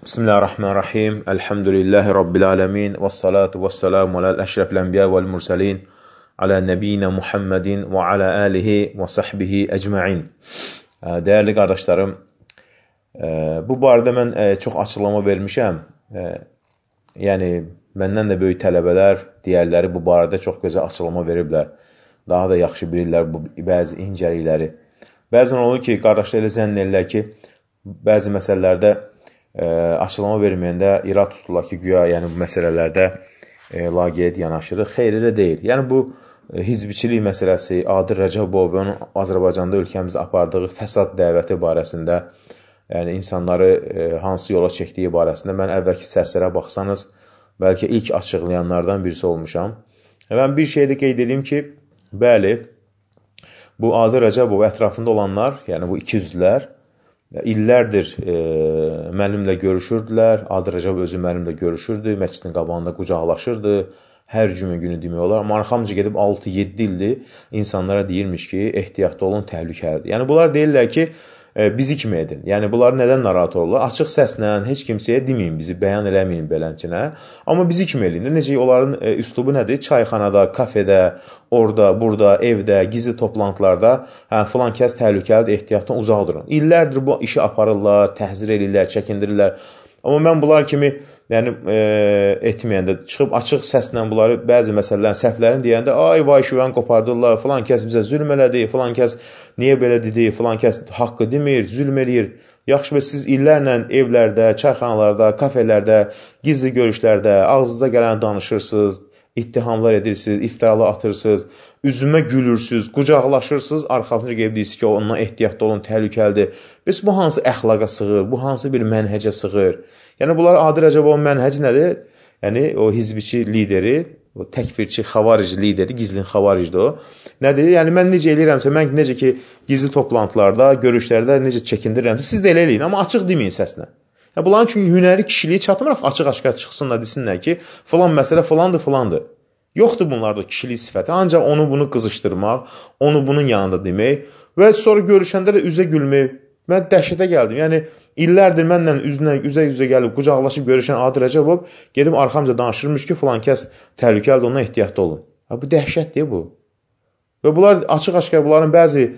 Bismillahirrahmanirrahim. Elhamdülillahi Rabbil alemin. Vessalatu vesselamu alel eşrefil enbiya vel mursalin. Ala nebiyyina Muhammedin və ala alihi və sahbihi ecma'in. Değerli qardaşlarım, bu barədə mən çox açıqlama vermişəm. Yəni, məndən də böyük tələbələr, digərləri bu barədə çox gözəl açıqlama veriblər. Daha da yaxşı bilirlər bu bəzi incəlikləri. Bəzən olur ki, qardaşlar elə zənn edirlər ki, bəzi məsələlərdə açıqlama verməyəndə irad tuturlar ki, güya yəni bu məsələlərdə laqeyd yanaşırıq. Xeyr, elə deyil. Yəni bu hizbiçilik məsələsi, Adil Rəcəbov və onun Azərbaycanda ölkəmizdə apardığı fəsad dəvəti barəsində, yəni insanları hansı yola çəkdiyi barəsində mən əvvəlki səslərə baxsanız, bəlkə ilk açıqlayanlardan birisi olmuşam. Mən bir şey də qeyd edeyim ki, bəli, bu Adil Rəcəbov ətrafında olanlar, yəni bu ikiyüzlülər, illərdir mənimlə görüşürdülər, Adil Rəcəbov özü mənimlə görüşürdü, məscidin qabağında qucaqlaşırdı, hər cümə günü demək olar. Amma arxamca gedib 6-7 ildir insanlara deyirmiş ki, ehtiyatlı olun, təhlükəlidir. Yəni bunlar deyirlər ki, bizi kimi edin. Yəni bunlar nədən narahat olurlar? Açıq səslə, heç kimsəyə deməyin, bizi bəyan eləməyin belənçinə. Amma bizi kimi edin. Necə onların üslubu nədir? Çayxanada, kafedə, orada, burada, evdə, gizli toplantılarda filan kəs təhlükəlidir, ehtiyatdan uzaq durun. İllərdir bu işi aparırlar, təhzir edirlər, çəkindirirlər. Amma mən bunlar kimi etməyəndə, çıxıb açıq səslə bunları bəzi məsələlərin, səhvlərini deyəndə, ay vay şüvən qopardırlar, filan kəs bizə zülm elədi, filan kəs niyə belə dedi, filan kəs haqqı demir, zülm eləyir. Yaxşı və siz illərlə evlərdə, çayxanalarda, kafelərdə, gizli görüşlərdə, ağzınızda gələn danışırsınız, ittihamlar edirsiniz, iftiralar atırsınız, üzümə gülürsünüz, qucaqlaşırsınız, arxasınca qeyb deyirsiniz ki, ondan ehtiyatlı olun, təhlükəlidir. Bəs bu hansı əxlaqa sığır, bu hansı bir mənhəcə sığır? Yəni, bunlar Adil Rəcəbovun mənhəci nədir? Yəni, o hizbiçi lideri, o təkfirçi, xavarici lideri, gizlin xavaricdir o. Nədir? Yəni, mən necə eləyirəmsə, mən necə ki, gizli toplantılarda, görüşlərdə necə çəkindirirəmsə, siz də elə eləyin, amma açıq deməyin səslə. Yəni, bunların çünki hünəri kişiliyi çatmıraq, açıq-açıq çıxsınlar, desinlər ki, filan məsələ filandır, filandır. Yoxdur bunlarda kişilik sifəti, ancaq onu bunu qızışdırmaq, onu bunun yanında demək və sonra görüşəndə də üzə gülmək. Mən dəhşətə gəldim. Yəni, illərdir mənlə üzə gəlib, qucaqlaşıb görüşən Adil Rəcəbov gedib arxamca danışırmış ki, filan kəs təhlükəlidir, ondan ehtiyatlı olun. Bu dəhşətdir bu. Və bunlar açıq-açıq bunların bəzi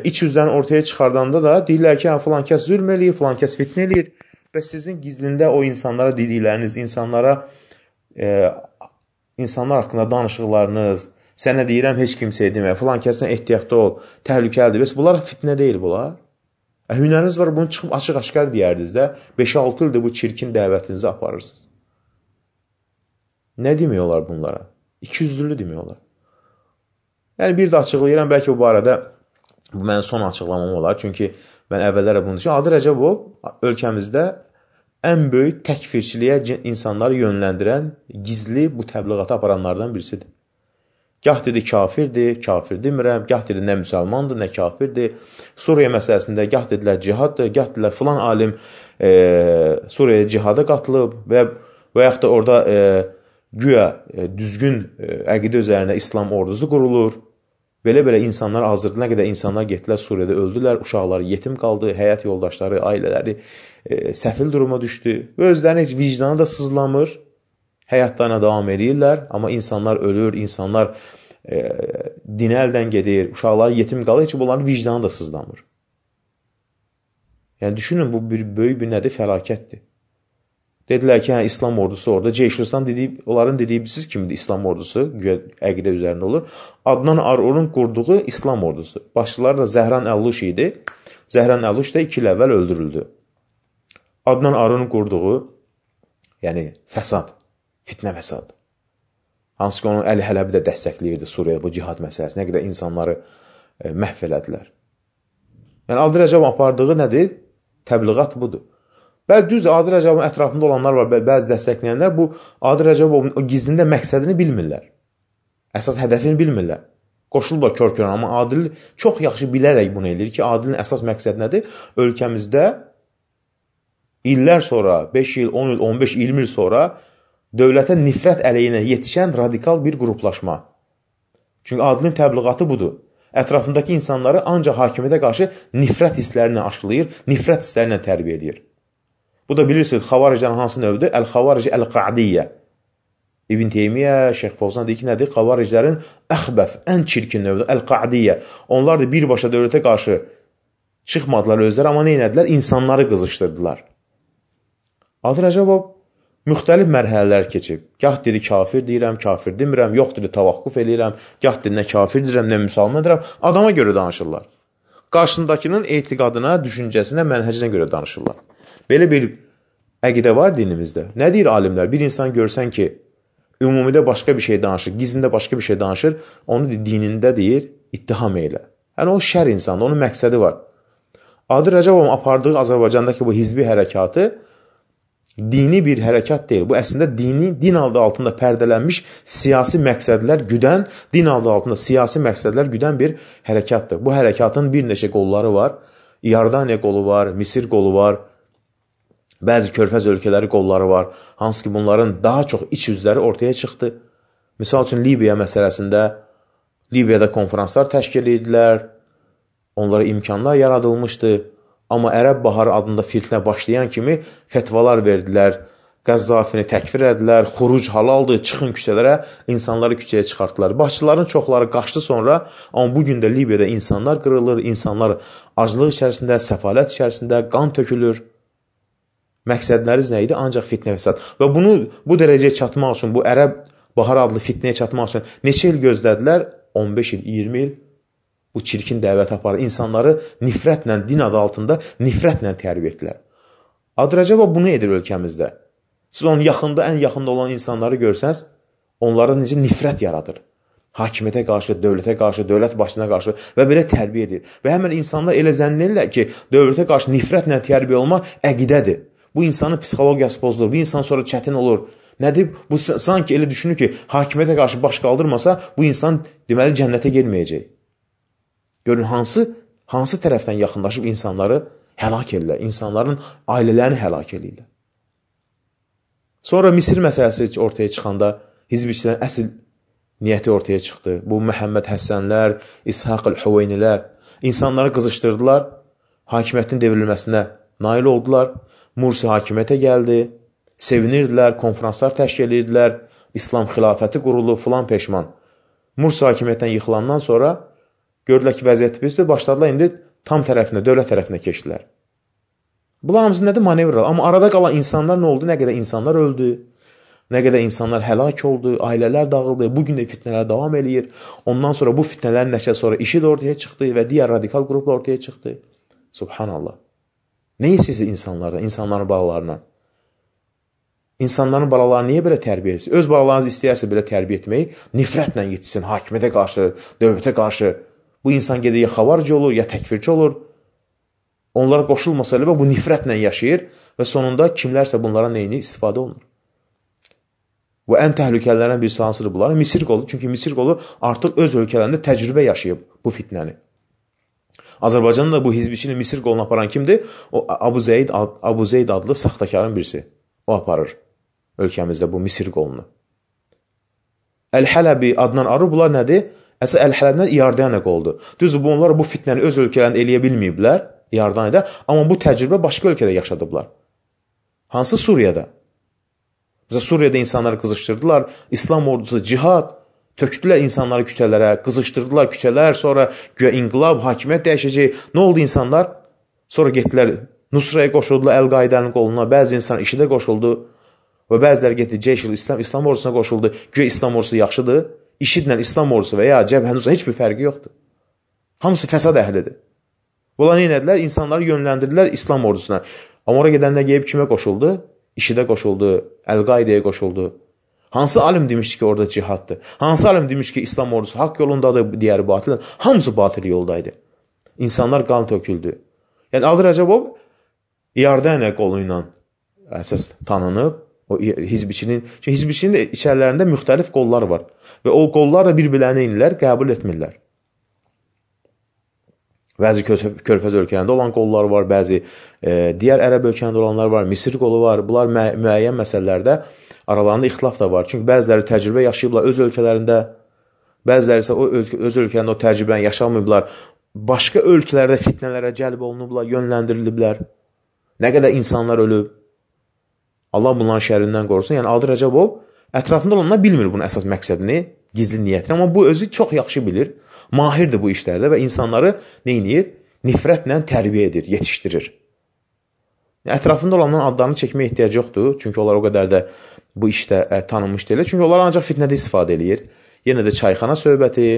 iç yüzlərini ortaya çıxardanda da deyirlər ki, filan kəs zülm eləyir, filan kəs fitnə eləyir və sizin gizlində o insanlara dedikləriniz, insanlar haqqında danışıqlarınız, sənə deyirəm, heç kimsəyə demə, filan kəsdən ehtiyatlı ol, təhlükəlidir. Bəs bunlar fitnə deyil bunlar. Hünəriniz var, bunu çıxıb açıq-açıq deyərdiniz də, 5-6 ildir bu çirkin dəvətinizi aparırsınız. Nə demək olar bunlara? İkiyüzlülü demək olar. Yəni, bir də açıqlayıram, bəlkə bu barədə bu mənim son açıqlamam olar. Çünki mən əvvəllərə bunu düşünürəm. Adil Rəcəbov ölkəmizdə ən böyük təkfirçiliyə insanları yönləndirən, gizli bu təbliğatı aparanlardan birisidir. Gah dedi kafirdir, kafir demirəm, gah dedi nə müsəlmandır, nə kafirdir. Suriya məsələsində gah dedilər cihaddır, gah dedilər filan alim Suriyaya cihada qatılıb və yaxud da orada güya düzgün əqidə üzərində İslam ordusu qurulur. Belə-belə insanlar azdırdı, nə qədər insanlar getdilər Suriyada öldülər, uşaqları yetim qaldı, həyat yoldaşları, ailələri səfil duruma düşdü və özlərini heç vicdanı da sızlamır. Həyatlarına davam edirlər, amma insanlar ölür, insanlar dinə əldən gedir, uşaqları yetim qalır, heç bunların vicdanı da sızlamır. Yəni, düşünün, bu böyük bir nədir? Fəlakətdir. Dedilər ki, İslam ordusu orada, Ceyşülislam onların dediyi siz kimidir İslam ordusu, əqidə üzərində olur. Adnan Arorun qurduğu İslam ordusu. Başçıları da Zəhran Əlluş idi. Zəhran Əlluş da 2 il əvvəl öldürüldü. Adnan Arorun qurduğu, yəni fəsad. Fitnə fəsad. Hansı ki, onun Əli Hələbi də dəstəkləyirdi Suriyada bu cihad məsələsi. Nə qədər insanları məhv elədilər. Yəni, Adil Rəcəbovun apardığı nədir? Təbliğat budur. Bəli, düz Adil Rəcəbovun ətrafında olanlar var, bəzi dəstəkləyənlər bu Adil Rəcəbovun o gizlində məqsədini bilmirlər. Əsas hədəfini bilmirlər. Qoşulurlar kör-kör, amma Adil çox yaxşı bilərək bunu edir ki, Adilin əsas məqsədi nədir? Ölkəmizdə illər sonra, 5 il, 10 il, 15, 20 il sonra dövlətə nifrət əleyhinə yetişən radikal bir qruplaşma. Çünki Adilin təbliğatı budur. Ətrafındakı insanları ancaq hakimiyyətə qarşı nifrət hisslərinə aşılayır, nifrət hisslərinə tərbiyə edir. Bu da bilirsiniz, xavariclərin hansı növdür? Əl-xavarici əl-qa'diyyə. İbn Teymiyyə, Şeyx Fovzan deyir ki, nədir? Xavariclərin əxbəf, ən çirkin növdür, əl-qa'diyyə. Onlar da birbaşa dövlətə qarşı çıxmadılar özləri, amma nə etdilər? İnsanları qızışdırdılar. Adı Rəcəbov müxtəlif mərhələlər keçib. Gah dedi kafir deyirəm, kafir demirəm, yox dedi tavaqquf eləyirəm, gah dedi nə kafir deyirəm, nə müsəlman deyirəm. Adama görə danışırlar. Qarşındakının etiqadına, düşüncəsinə, mənhəcinə görə danışırlar. Belə bir əqidə var dinimizdə. Nə deyir alimlər? Bir insan görsən ki, ümumidə başqa bir şey danışır, gizlində başqa bir şey danışır, onu dinində deyir, ittiham elə. Yəni o şər insandır, onun məqsədi var. Adı Rəcəbovun apardığı Azərbaycandakı bu hizbi hərəkatı dini bir hərəkat deyil. Bu əslində din adı altında pərdələnmiş siyasi məqsədlər güdən, din adı altında siyasi məqsədlər güdən bir hərəkatdır. Bu hərəkatın bir neçə qolları var. İordaniya qolu var, Misir qolu var, bəzi körfəz ölkələri qolları var. Hansı ki bunların daha çox iç yüzləri ortaya çıxdı. Misal üçün Libiya məsələsində Libiyada konferanslar təşkil edildilər. Onlara imkanlar yaradılmışdı. Amma Ərəb Baharı adında fitnə başlayan kimi fətvalar verdilər. Qəzzafini təkfir edilər. Xuruc halaldır, çıxın küçələrə, insanları küçəyə çıxartdılar. Başçıların çoxları qaçdı sonra, amma bugün də Libiyada insanlar qırılır, insanlar aclıq içərisində, səfalət içərisində, qan tökülür. Məqsədləriniz nə idi? Ancaq fitnə fəsad. Və bunu bu dərəcəyə çatmaq üçün, bu Ərəb Baharı adlı fitnəyə çatmaq üçün neçə il gözlədilər? 15 il, 20 il. Bu çirkin dəvət aparır. İnsanları nifrətlə, din adı altında nifrətlə tərbiyə etdilər. Adı Rəcəbov bunu edir ölkəmizdə. Siz onun yaxında, ən yaxında olan insanları görsəniz, onlarda necə nifrət yaradır. Hakimiyyətə qarşı, dövlətə qarşı, dövlət başına qarşı və belə tərbiyə edir. Və həmən insanlar elə zənn edirlər ki, dövlətə qarşı nifrətlə tərbiyə olmaq əqidədir. Bu insanın psixologiyası pozulur, bu insan sonra çətin olur. Nədir? Bu sanki elə düşünür ki, hakimiyyətə qarşı baş qaldırmasa, bu insan deməli cənnətə gelməyəcək. Görün, hansı tərəfdən yaxınlaşıb insanları həlak edirlər, insanların ailələrini həlak edirlər. Sonra Misir məsələsi ortaya çıxanda hizbiçilərin əsl niyyəti ortaya çıxdı. Bu Məhəmməd Həssənlər, İshaq el-Hüveynilər insanları qızışdırdılar, hakimiyyətin devrilməsinə nail oldular. Mursi hakimiyyətə gəldi, sevinirdilər, konferanslar təşkil edirdilər, İslam xilafəti quruldu, filan peşman. Mursi hakimiyyətdən yıxılandan sonra gördülər ki, vəziyyət pisdir, başladılar indi tam tərəfinə, dövlət tərəfinə keçdilər. Bunlar hamısı nədir? Manevrlar. Amma arada qalan insanlar nə oldu? Nə qədər insanlar öldü, nə qədər insanlar həlak oldu, ailələr dağıldı, bugün də fitnələr davam eləyir. Ondan sonra bu fitnələrin nəticəsi sonra IŞİD ortaya çıxdı və digər radikal qruplar ortaya çıxdı. Subhanallah. Nə istəyirsiz insanlardan, insanların balalarından? İnsanların balalarını niyə belə tərbiyə etsin? Öz balalarınızı istəyərsə belə tərbiyə etməyi, nifrətlə yetişsin, hakimiyyətə qarşı, dövlətə qarşı. Bu insan gedir ya xavarici olur, ya təkfirçi olur. Onlara qoşulmasa elə bu nifrətlə yaşayır və sonunda kimlərsə bunlara neyini istifadə olunur. Və ən təhlükəlilərdən birisi hansıdır bunların? Misir qolu. Çünki Misir qolu artıq öz ölkələrində təcrübə yaşayıb bu fitnəni. Azərbaycanda bu hizbiçini Misir qolunu aparan kimdir? O Abu Zeyd adlı saxtakarın birisi. O aparır ölkəmizdə bu Misir qolunu. Əl-Hələbi adından arı bunlar nədir? Əsas Əl-Hələbdən İordaniya qoldur. Düzdür, bunlar bu fitnəni öz ölkələrində eləyə bilməyiblər İordaniyada, amma bu təcrübə başqa ölkədə yaşadıblar. Hansı? Suriyada. Mesela Suriyada insanları qızışdırdılar, İslam ordusu cihad, tökdülər insanları küçələrə, qızışdırdılar küçələr, sonra güya inqilab, hakimiyyət dəyişəcək. Nə oldu insanlar? Sonra getdilər Nusraya qoşuldular, Əl-Qaidənin qoluna, bəzi insan IŞİDə qoşuldu və bəziləri getdi Ceyşil İslam ordusuna qoşuldu. Güya İslam ordusu yaxşıdır. IŞİDlə İslam ordusu və ya Cəbhə-Nusra heç bir fərqi yoxdur. Hamısı fəsad əhlidir. Bunlar nə edilər? İnsanları yönləndirdilər İslam ordusuna. Amma oraya gedəndə gəlib kimə qoşuldu? IŞİDə qoşuldu, Əl-Qaidəyə qoşuldu. Hansı alim demişdi ki, orada cihaddır? Hansı alim demiş ki, İslam ordusu haqq yolundadır, digəri batildir? Hamısı batil yoldaydı. İnsanlar qan töküldü. Yəni, Adı Rəcəbov İordaniya qolu ilə əsas tanınıb. O hizbiçinin də içərilərində müxtəlif qollar var. Və o qollar da bir-birlərini inirlər, qəbul etmirlər. Bəzi körfəz ölkələrində olan qollar var, bəzi digər ərəb ölkələrində olanlar var, Misir qolu var. Bunlar müəyyən məsələlərdə aralarında ixtilaf da var. Çünki bəziləri təcrübə yaşayıblar öz ölkələrində, bəziləri isə öz ölkələrində o təcrübəni yaşamayıblar. Başqa ölkələrdə fitnələrə cəlb olunublar, yönləndiriliblər. Nə qədər insanlar ölüb. Allah bunların şərrindən qorusun. Yəni Adil Rəcəbov ətrafında olanlar bilmir bunun əsas məqsədini, gizli niyyətini, amma bu özü çox yaxşı bilir. Mahirdir bu işlərdə və insanları nə edir? Nifrətlə tərbiyə edir, yetişdirir. Ətrafında olanların adlarını çəkməyə ehtiyac yoxdur. Çünki onlar o qədər də bu işdə tanınmış deyil. Çünki onlar ancaq fitnədə istifadə edir. Yenə də çayxana söhbəti,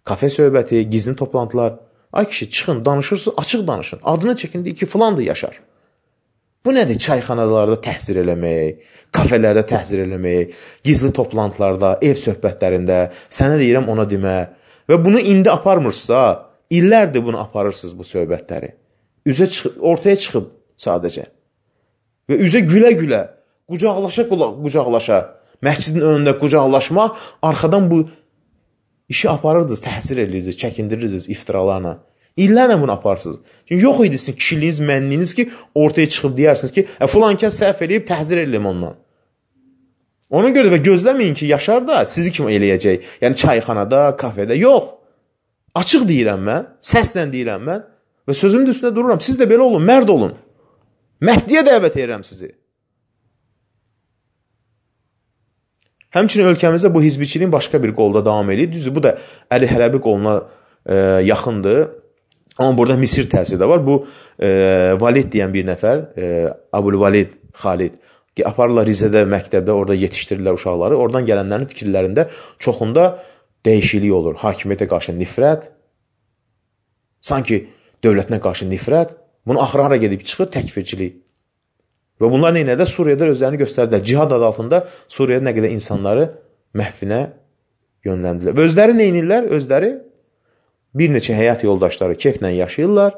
kafe söhbəti, gizli toplantılar. Ay kişi, çıxın, danışırsınız, açıq danışın. Adını çəkin, deyir ki, filan da yaşar. Bu nədir? Çayxanalarda təhzir eləmək, kafelərdə təhzir eləmək, gizli toplantılarda, ev söhbətlərində, sənə deyirəm, ona demə. Və bunu indi aparmırsınızsa, illərdir bunu aparırsınız bu söhbətləri. Ortaya çıxıb sadəcə. Və üzə gülə-gülə, qucaqlaşa, məscidin önündə qucaqlaşma, arxadan bu işi aparırdınız, təhzir edirdiniz, çəkindirirdiniz iftiralarla. İllərlə bunu aparsınız. Çünki yox idi sizin kişiliyiniz, mənliyiniz ki, ortaya çıxıb deyirsiniz ki, filan kəs səhv eləyib, təhzir edelim ondan. Ona görə də gözləməyin ki, Yaşar da sizi kim eləyəcək. Yəni çayxanada, kafedə. Yox. Açıq deyirəm mən, səslə deyirəm mən və sözümün üstündə dururam. Siz də belə olun, mərd olun. Mərdliyə dəvət edirəm sizi. Həmçinin ölkəmizdə bu hizbiçiliyin başqa bir qolda davam edir. Düzdür, bu da Əli Hələbi qoluna yaxındır. Amma burada Misir təsiri də var. Bu Valid deyən bir nəfər, Abul-Valid Xalid, aparırlar Rizədə, məktəbdə, orada yetişdirirlər uşaqları. Oradan gələnlərin fikirlərində çoxunda dəyişiklik olur. Hakimiyyətə qarşı nifrət, sanki dövlətinə qarşı nifrət, bunu axıra gedib çıxır təkfirçilik. Və bunlar neynədə? Suriyada özlərini göstərdilər. Cihad adı altında Suriyada nə qədər insanları məhvinə yönləndirilər. Və özləri neynirlər? Özləri bir neçə həyat yoldaşları keyflə yaşayırlar.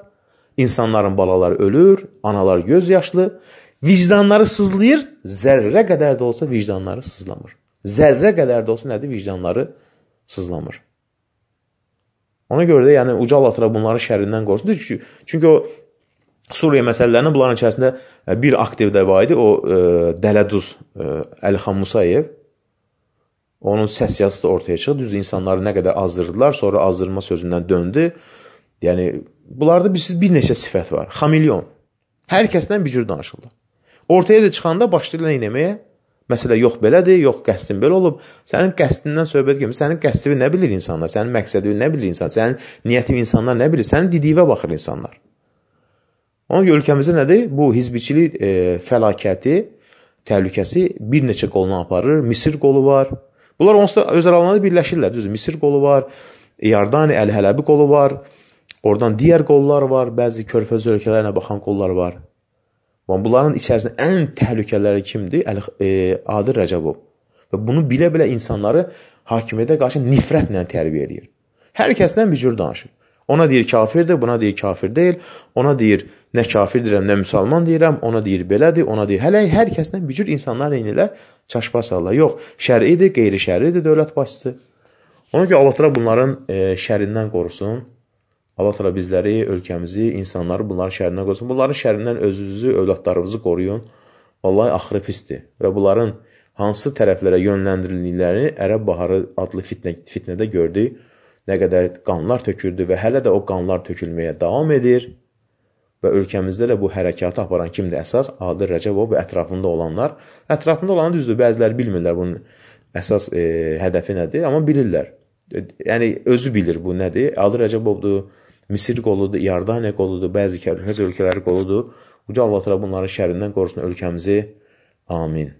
İnsanların balaları ölür, analar göz yaşlı. Vicdanları sızlayır, zərrə qədər də olsa vicdanları sızlamır. Zərrə qədər də olsa nədir? Vicdanları sızlamır. Ona görə də yəni uca Allah bunların şərrindən qorusun. Çünki o Suriya məsələlərinin bunların içərisində bir aktiv də var idi. O Dələduz Əlixan Musayev. Onun səs yazısı da ortaya çıxdı. Düz insanları nə qədər azdırdılar. Sonra azdırma sözündən döndü. Yəni, bunlarda bir neçə sifət var. Xamilyon. Hər kəsdən bir cür danışırlar. Ortaya da çıxanda başlayırlar eləməyə. Məsələ yox belədir, yox qəsdin belə olub. Sənin qəsdindən söhbət gəlmir. Sənin qəsdivi nə bilir insanlar? Sənin məqsədivi nə bilir insanlar? Sənin niyyətivi insanlar nə bilir? Sənin didiyivə baxır insanlar. Ona görə ölkəmizdə nədir? Bu hizbiçilik fəlakəti, təhlükəsi bir neçə qoluna aparır. Misir qolu var. Bunlar onsuz da öz aralarında birləşirlər. Düzdür, Misir qolu var, Yardani, Əl-Hələbi qolu var. Oradan digər qollar var, bəzi körfəz ölkələrinə baxan qollar var. Bunların içərisində ən təhlükələri kimdir? Adil Rəcəbov. Və bunu bilə-bilə insanları hakimiyyətə qarşı nifrətlə tərbiyə edir. Hər kəsdən bir cür danışır. Ona deyir kafirdir, buna deyir kafir deyil. Ona deyir nə kafir deyirəm, nə müsəlman deyirəm. Ona deyir belədir, ona deyir. Hələ hər kəsdən bir cür insanlar eynilər, çaşba sallar. Yox, şər'idir, qeyri-şər'idir dövlət başçısı. Ona görə Allah təala bunların şərrindən qorusun. Allah təala bizləri, ölkəmizi, insanları bunların şərrindən qorusun. Bunların şərrindən özünüzü, övladlarınızı qoruyun. Vallahi axırı pisdir. Və bunların hansı tərəflərə yönləndirildiklərini Ərəb Baharı adlı fitnədə gördük. Nə qədər qanlar töküldü və hələ də o qanlar tökülməyə davam edir. Və ölkəmizdə də bu hərəkatı aparan kimdir əsas? Adil Rəcəbov və ətrafında olanlar. Ətrafında olanı düzdür, bəziləri bilmirlər bunun əsas hədəfi nədir, amma bilirlər. Yəni, özü bilir bu nədir. Adil Rəcəbovdur, Misir qoludur, Yardaniya qoludur, bəzi körfəz ölkələri qoludur. Uca Allah bunların şərrindən qorusun ölkəmizi. Amin.